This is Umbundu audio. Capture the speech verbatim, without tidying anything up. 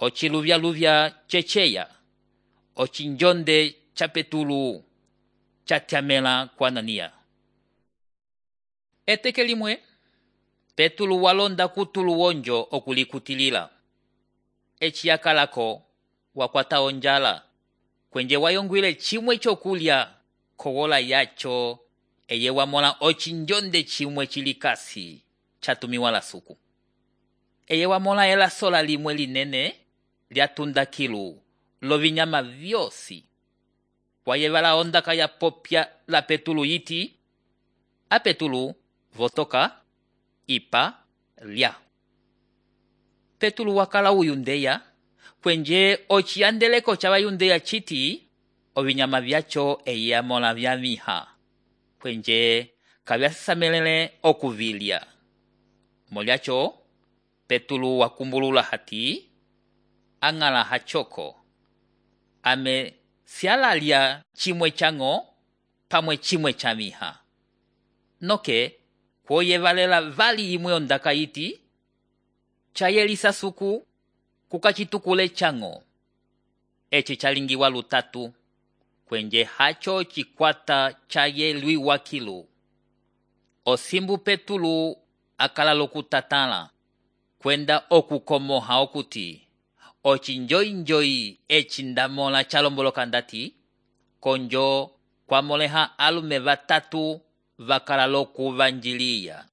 ociluvyaluvya ceceya, ocinjonde ca Petulu catyamela kwa Ananiya. Eteke limwe, Petulu walonda kutulu wonjo okulikutilila. Eci yakalako wakwata onjala, kwenje wayongwile chimwe chokulya kogola yacho eye wamola ocinjonde chimwe chilikasi chatumiwa la suku. Eye wamola ela sola limwe linene lyatunda kilu lovinyama vyosi. Wayevala ondaka ya popya la Petulu yiti, a Petulu votoka, ipa, lya. Petulu wakala uyundeya, kwenje ociyandeleko cha wayundeya chiti, ovinyama vyacho eye amola vyamiha, kwenje kavyasamelele okuvilya. Molyacho, Petulu wakumbulula hati, angala hachoko, ame sialalya chimwe chango, pamwe chimwe chamiha. Noke, kwoye valela vali imwe ondaka iti, chayelisa suku, kukachitukule chango. Echi chalingiwa lutatu, kwenje hacho chikwata chayelwi wakilu. Osimbu Petulu akala lokutatala, kwenda okukomoha okuti, ochinjoi-njoi echi ndamola chalomboloka ndati, konjo kwa moleha alume vatatu vakala lokuvanjiliya.